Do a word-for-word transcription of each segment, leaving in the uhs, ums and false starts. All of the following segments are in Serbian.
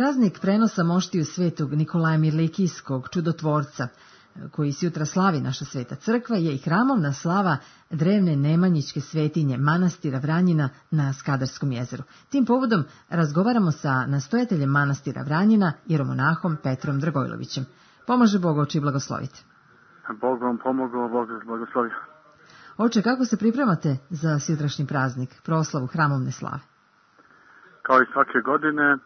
Praznik prenosa moštiju svetog Nikolaja Mirlikijskog, čudotvorca, koji se jutra slavi naša sveta crkva, je i hramovna slava drevne nemanjičke svetinje manastira Vranjina na Skadarskom jezeru. Tim povodom razgovaramo sa nastojateljem manastira Vranjina, jeromonahom Petrom Dragojlovićem. Pomaže Bog, oče, i blagoslovite. Bog vam pomogao, Bog vas blagoslovio. Oče, kako se pripremate za sutrašnji praznik, proslavu hramovne slave? Kao i svake godine,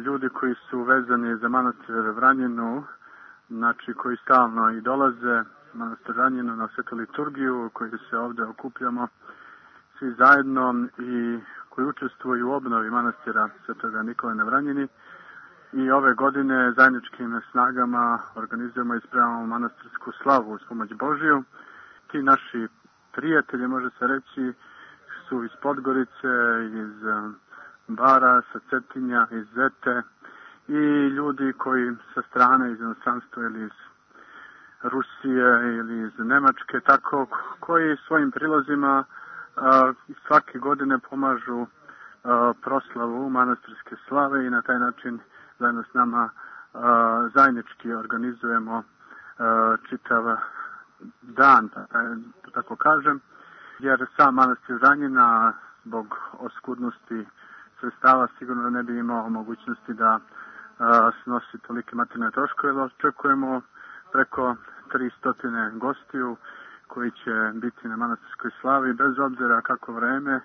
ljudi koji su vezani za manastir Vranjinu, znači koji stalno i dolaze manastir Vranjinu na svetu liturgiju, koji se ovdje okupljamo svi zajedno i koji učestvuju u obnovi manastira svetoga Nikolaja na Vranjini. I ove godine zajedničkim snagama organizujemo i spremamo manastirsku slavu uz pomoć Božiju. Ti naši prijatelji, može se reći, su iz Podgorice, iz Bara, sa Cetinja, iz Zete i ljudi koji sa strane iz inostranstva ili iz Rusije ili iz Nemačke, tako koji svojim prilozima a, svake godine pomažu a, proslavu manastirske slave i na taj način zajedno s nama a, zajednički organizujemo a, čitav dan, da tako kažem, jer sam manastir Vranjina zbog oskudnosti sredstava sigurno ne bi imao mogućnosti da a, snosi tolike materijalne troškove. Očekujemo preko tristo gostiju koji će biti na manastirskoj slavi, bez obzira kako vreme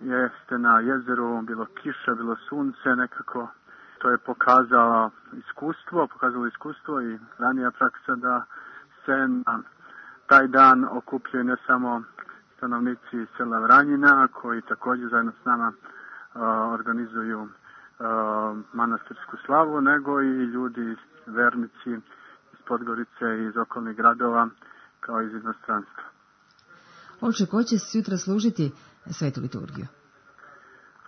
jeste na jezeru, bilo kiša, bilo sunce, nekako to je pokazalo iskustvo, pokazalo iskustvo i ranija praksa da se na taj dan okupljaju ne samo stanovnici sela Vranjina, koji također zajedno s nama uh, organizuju uh, manastirsku slavu, nego i ljudi, vernici iz Podgorice i iz okolnih gradova, kao i iz inostranstva. Oče, ko će sutra služiti svetu liturgiju?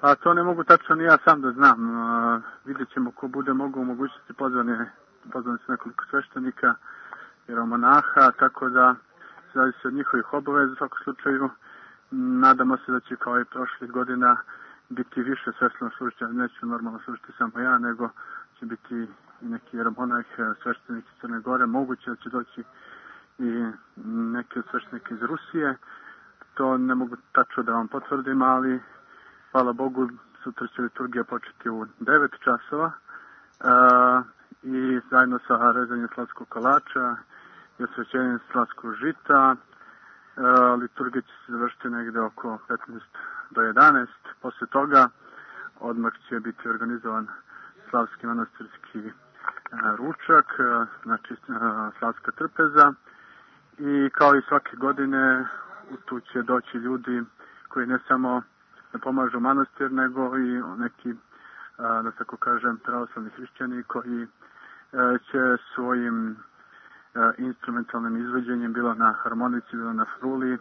A to ne mogu tačno ni ja sam da znam. Uh, vidjet ćemo ko bude mogu u mogućnosti pozvane, pozvane su nekoliko sveštenika, jeromonaha, tako da zavisi od njihovih obaveza. U svakom slučaju nadamo se da će kao i prošlih godina biti više sveštenog služitelja. Neću normalno služiti samo ja, nego će biti i neki jeromonah, sveštenik iz Crne Gore. Moguće da će doći i neki od sveštenika iz Rusije. To ne mogu tačno da vam potvrdim, ali hvala Bogu, sutra će liturgija početi u devet časova uh, i zajedno sa rezanjem slavskog kolača i osvećenjem slavskog žita. Uh, liturgija će se završiti negde oko petnaest do jedanaest. Posle toga odmah će biti organizovan slavski manastirski uh, ručak, uh, znači uh, slavska trpeza. I kao i svake godine tu će doći ljudi koji ne samo da pomažu manastir, nego i neki, da tako kažem, pravoslavni hrišćani koji će svojim instrumentalnim izvođenjem, bilo na harmonici, bilo na fruli,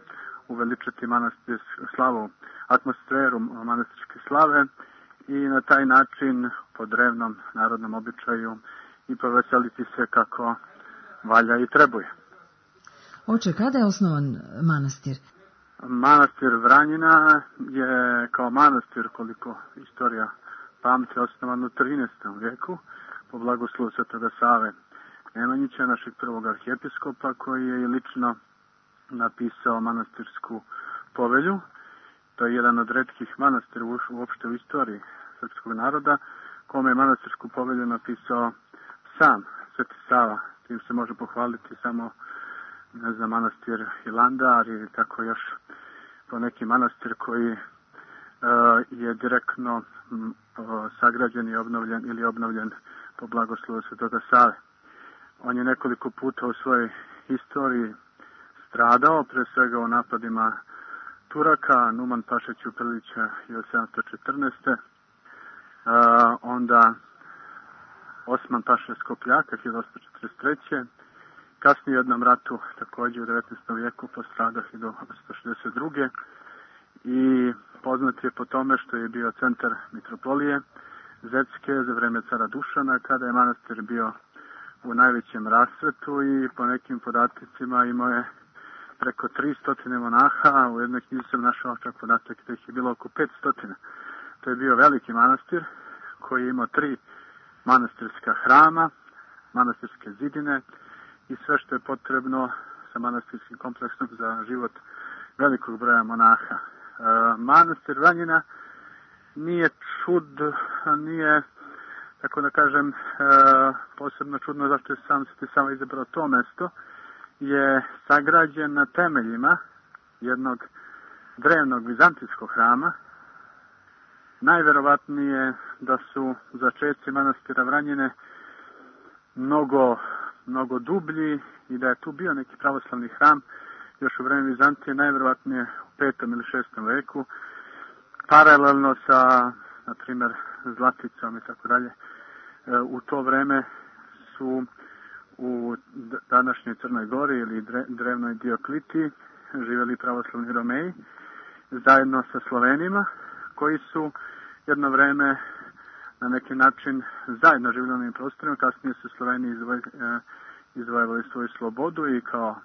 uveličati manastir slavu, atmosferu manastirske slave i na taj način po drevnom narodnom običaju i poveseliti se kako valja i trebuje. Oče, kada je osnovan manastir? Manastir Vranjina je kao manastir, koliko istorija pamti, osnovan u trinaestom vijeku po blagoslovu svetoga Save Nemanjića, našeg prvog arhijepiskopa, koji je lično napisao manastirsku povelju. To je jedan od retkih manastira uopšte u istoriji srpskog naroda, kome je manastirsku povelju napisao sam Sveti Sava. Tim se može pohvaliti samo, ne znam, manastir Hilandar i tako još po neki manastir koji uh, je direktno m, uh, sagrađen i obnovljen ili obnovljen po blagoslovu svetoga Save. On je nekoliko puta u svojoj istoriji stradao, pre svega u napadima Turaka, Numan Paša Ćuprilića hiljadu sedamsto četrnaeste. Uh, onda Osman Paša Skopljaka hiljadu osamsto četrdeset treće. Kasnije u jednom ratu, također u devetnaestom vijeku, postradao hiljadu osamsto šezdeset druge. I poznat je po tome što je bio centar mitropolije Zetske za vreme cara Dušana, kada je manastir bio u najvećem rasvetu i po nekim podatcima imao je preko tristo monaha. U jednoj knjizi sam našao čak podatak da ih je bilo oko petsto. To je bio veliki manastir koji je imao tri manastirska hrama, manastirske zidine i sve što je potrebno sa manastirskim kompleksom za život velikog broja monaha. E, manastir Vranjina nije čud, nije, tako da kažem, e, posebno čudno zašto je sam se samo izabrao to mesto, je sagrađen na temeljima jednog drevnog vizantijskog hrama. Najverovatnije da su začeci manastira Vranjine mnogo, mnogo dublji i da je tu bio neki pravoslavni hram još u vreme Vizantije, najverovatnije u petom ili šestom veku, paralelno sa, na primjer, Zlaticom i tako dalje. U to vreme su u današnjoj Crnoj Gori ili drevnoj Dioklitiji živjeli pravoslavni Romeji zajedno sa Slovenima, koji su jedno vreme na neki način zajedno živjeli na ovim prostorima. Kasnije su Sloveni izvojevali svoju slobodu i kao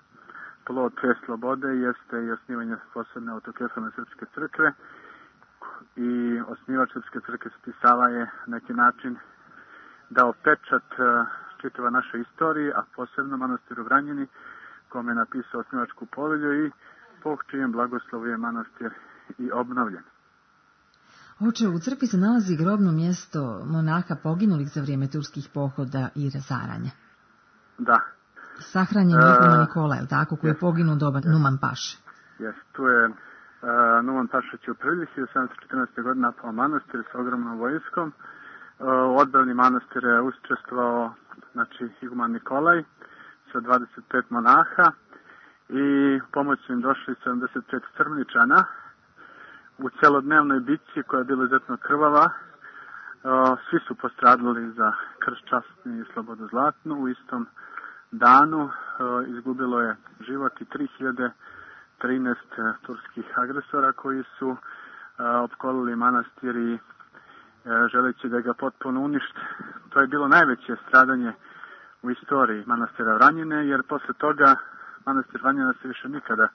plod te slobode jeste i osnivanje posebne autokefalne srpske crkve. I osnivač srpske crkve Sava je na neki način dao pečat čitava naše istorije, a posebno manastiru Vranjini, kome je napisao osnivačku povelju i po čijem blagoslovu je manastir i obnovljen. Oče, u crkvi se nalazi grobno mjesto monaha poginulih za vrijeme turskih pohoda i razaranja. Da. Sahranjen je Nikola Nikola, je li tako, koji je poginuo doba Numan Paše? Jes, tu je uh, Numan Paša Ćuprilić hiljadu sedamsto četrnaeste. godine napao manastir sa ogromnom vojskom. Uh, u odbrani manastira je učestvovao, znači, iguman Nikolaj sa dvadeset pet monaha i pomoć su im došli sedamdeset pet crmničana. U celodnevnoj bitci koja je bila izuzetno krvava, uh, svi su postradali za krst časni i slobodu zlatnu. U istom danu uh, izgubilo je život i tri hiljade trinaest turskih agresora koji su uh, opkolili manastir i uh, želeći da ga potpuno unište. To je bilo najveće stradanje u istoriji manastira Vranjine, jer posle toga manastir Vranjina se više nikada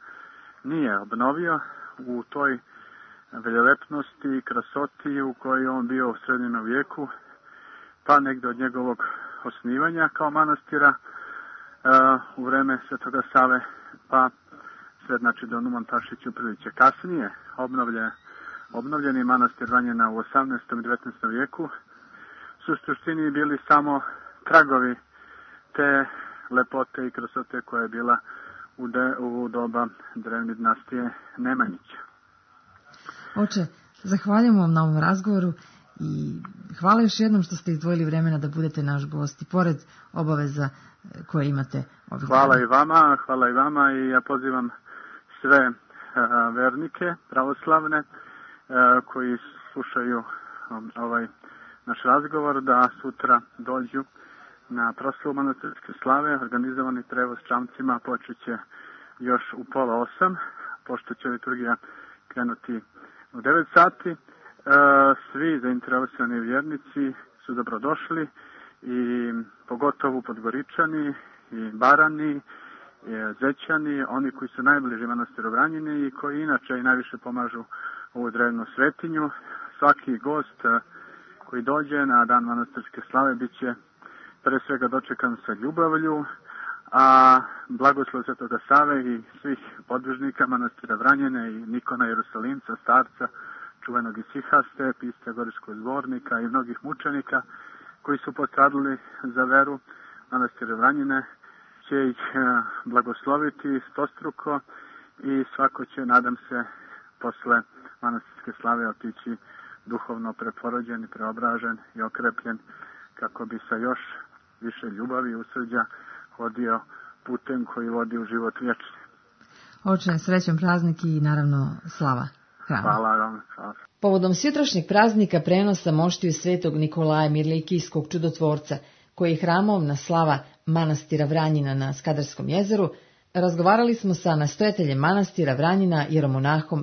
nije obnovio u toj veljolepnosti i krasoti u kojoj on bio u srednjem vijeku, pa negdje od njegovog osnivanja kao manastira uh, u vreme Svetoga Save, pa sve znači do Numan Paše Ćuprilića. Kasnije obnovljen, obnovljeni manastir Vranjina u osamnaestom i devetnaestom vijeku su u suštini bili samo tragovi te lepote i krasote koja je bila u, de, u doba drevne dinastije Nemanjića. Oče, zahvaljujem vam na ovom razgovoru i hvala još jednom što ste izdvojili vremena da budete naš gost i pored obaveza koje imate ovih dana. Hvala i vama, hvala i vama i ja pozivam sve uh, vernike pravoslavne uh, koji slušaju um, ovaj naš razgovor da sutra dođu na proslavu manastirske slave. Organizovani prevoz čamcima počet će još u pola osam, pošto će liturgija krenuti u devet sati. E, svi zainteresovani vjernici su dobrodošli i pogotovo Podgoričani i Barani, i Zećani, oni koji su najbliži manastiru Vranjine i koji inače i najviše pomažu ovu drevnu svetinju. Svaki gost koji dođe na dan manastirske slave bit će pre svega dočekan sa ljubavlju, a blagoslov Svetoga Save i svih podvižnika manastira Vranjine i Nikona Jerusalimca, starca, čuvenog Isihaste, pisca Gorijskog zbornika i mnogih mučenika koji su postradali za veru manastira Vranjine, će ih blagosloviti stostruko i svako će, nadam se, posle manastirske slave otići duhovno preporođen i preobražen i okrepljen kako bi sa još više ljubavi i usrđa hodio putem koji vodi u život vječni. Oče, srećan praznik i naravno slava hrama. Hvala vam. Hvala. Povodom sutrašnjeg praznika prenosa moštiju svetog Nikolaja Mirlikijskog čudotvorca, koji je hramovna slava manastira Vranjina na Skadarskom jezeru, razgovarali smo sa nastojateljem manastira Vranjina jeromonahom